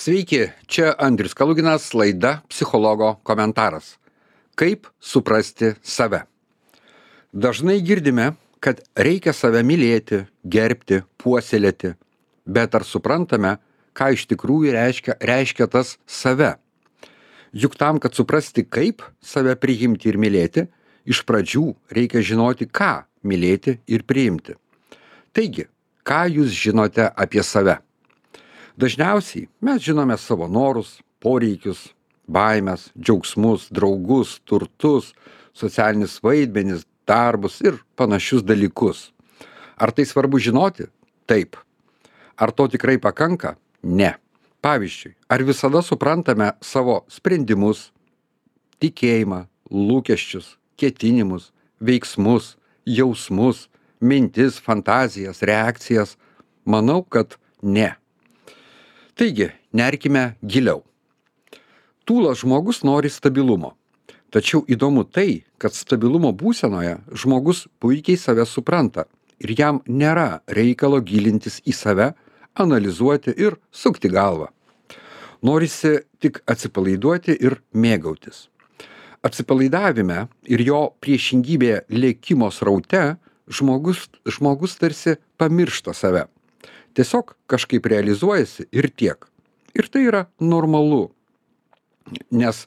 Sveiki, čia Andrius Kaluginas, laida Psichologo komentaras. Kaip suprasti save? Dažnai girdime, kad reikia save mylėti, gerbti, puoselėti, bet ar suprantame, ką iš tikrųjų reiškia tas save? Juk tam, kad suprasti, kaip save priimti ir mylėti, iš pradžių reikia žinoti, ką mylėti ir priimti. Taigi, ką jūs žinote apie save? Dažniausiai mes žinome savo norus, poreikius, baimes, džiaugsmus, draugus, turtus, socialinius vaidmenis, darbus ir panašius dalykus. Ar tai svarbu žinoti? Taip. Ar to tikrai pakanka? Ne. Pavyzdžiui, ar visada suprantame savo sprendimus, tikėjimą, lūkesčius, ketinimus, veiksmus, jausmus, mintis, fantazijas, reakcijas? Manau, kad ne. Taigi, nerkime giliau. Tūlas žmogus nori stabilumo. Tačiau įdomu tai, kad stabilumo būsenoje žmogus puikiai save supranta ir jam nėra reikalo gilintis į save, analizuoti ir sukti galvą. Norisi tik atsipalaiduoti ir mėgautis. Atsipalaidavime ir jo priešingybėje lėkimo sraute žmogus tarsi pamiršta save. Tiesiog kažkaip realizuojasi ir tiek. Ir tai yra normalu, nes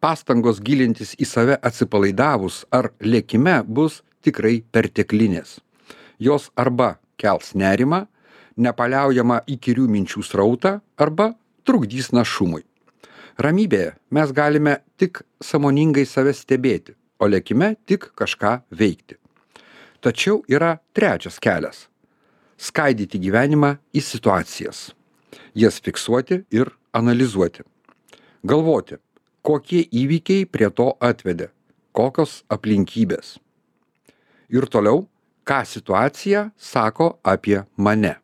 pastangos gilintis į save atsipalaidavus ar lėkime bus tikrai perteklinės. Jos arba kels nerimą, nepaliaujamą įkyrių minčių srautą, arba trukdys našumui. Ramybėje mes galime tik sąmoningai save stebėti, o lėkime tik kažką veikti. Tačiau yra trečias kelias. Skaidyti gyvenimą į situacijas, jas fiksuoti ir analizuoti. Galvoti, kokie įvykiai prie to atvedė, kokios aplinkybės. Ir toliau, ką situacija sako apie mane.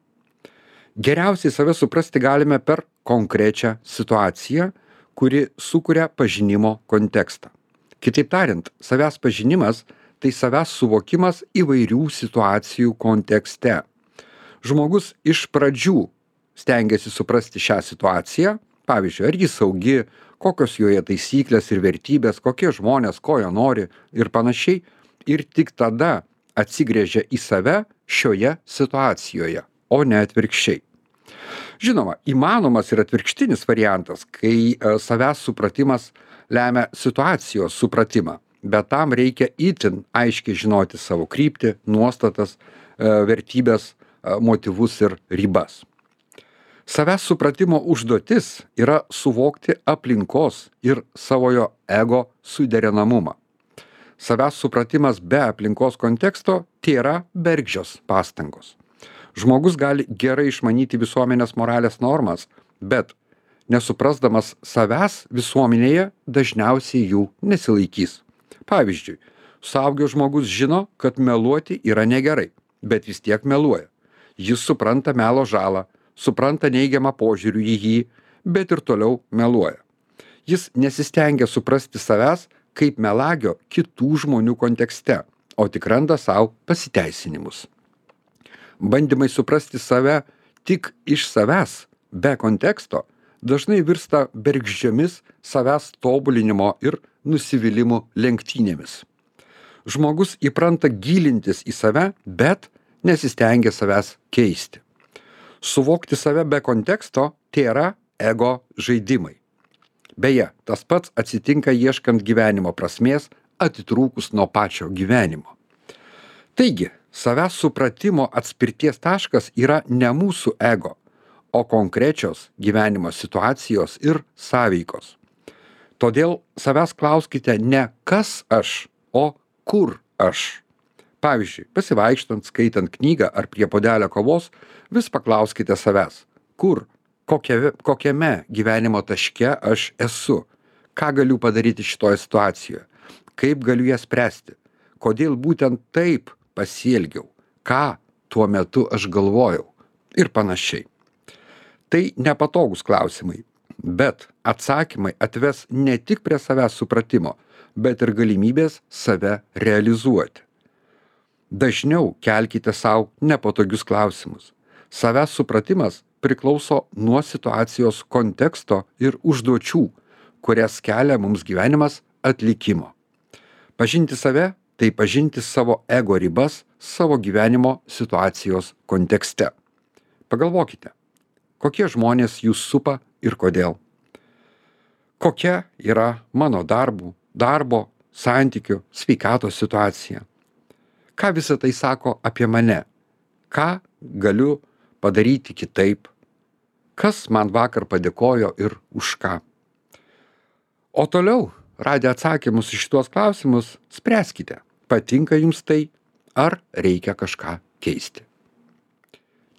Geriausiai save suprasti galime per konkrečią situaciją, kuri sukuria pažinimo kontekstą. Kitaip tariant, savęs pažinimas tai savęs suvokimas įvairių situacijų kontekste. Žmogus iš pradžių stengiasi suprasti šią situaciją, pavyzdžiui, ar ji saugi, kokios joje taisyklės ir vertybės, kokie žmonės, ko jie nori ir panašiai, ir tik tada atsigręžia į save šioje situacijoje, o ne atvirkščiai. Žinoma, įmanomas ir atvirkštinis variantas, kai savęs supratimas lemia situacijos supratimą, bet tam reikia itin aiškiai žinoti savo kryptį, nuostatas, vertybės, motyvus ir ribas. Savęs supratimo užduotis yra suvokti aplinkos ir savojo ego suderinamumą. Savęs supratimas be aplinkos konteksto tėra bergždžios pastangos. Žmogus gali gerai išmanyti visuomenės moralės normas, bet nesuprasdamas savęs visuomenėje dažniausiai jų nesilaikys. Pavyzdžiui, suaugęs žmogus žino, kad meluoti yra negerai, bet vis tiek meluoja. Jis supranta melo žalą, supranta neigiamą požiūrių į jį, bet ir toliau meluoja. Jis nesistengia suprasti savęs kaip melagio kitų žmonių kontekste, o tik randa savo pasiteisinimus. Bandymai suprasti save tik iš savęs, be konteksto, dažnai virsta bergždžiomis savęs tobulinimo ir nusivylimų lenktynėmis. Žmogus įpranta gilintis į save, bet nesistengia savęs keisti. Suvokti save be konteksto tėra ego žaidimai. Beje, tas pats atsitinka ieškant gyvenimo prasmės, atitrūkus nuo pačio gyvenimo. Taigi, savęs supratimo atspirties taškas yra ne mūsų ego, o konkrečios gyvenimo situacijos ir sąveikos. Todėl savęs klauskite ne kas aš, o kur aš. Pavyzdžiui, pasivaikštant, skaitant knygą ar prie puodelio kavos, vis paklauskite savęs, kur, kokiame gyvenimo taške aš esu, ką galiu padaryti šitoje situacijoje, kaip galiu ją spręsti, kodėl būtent taip pasielgiau, ką tuo metu aš galvojau ir panašiai. Tai nepatogus klausimai, bet atsakymai atves ne tik prie savęs supratimo, bet ir galimybės save realizuoti. Dažniau kelkite savo nepatogius klausimus. Savęs supratimas priklauso nuo situacijos konteksto ir užduočių, kurias kelia mums gyvenimas atlikimo. Pažinti save - tai pažinti savo ego ribas savo gyvenimo situacijos kontekste. Pagalvokite, kokie žmonės jūs supa ir kodėl. Kokia yra mano darbo, santykių, sveikatos situacija. Ką visa tai sako apie mane? Ką galiu padaryti kitaip? Kas man vakar padėkojo ir už ką? O toliau, radę atsakymus į šitos klausimus, spręskite, patinka jums tai, ar reikia kažką keisti.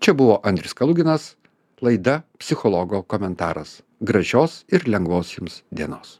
Čia buvo Andrius Kaluginas, laida Psichologo komentaras. Gražios ir lengvos jums dienos.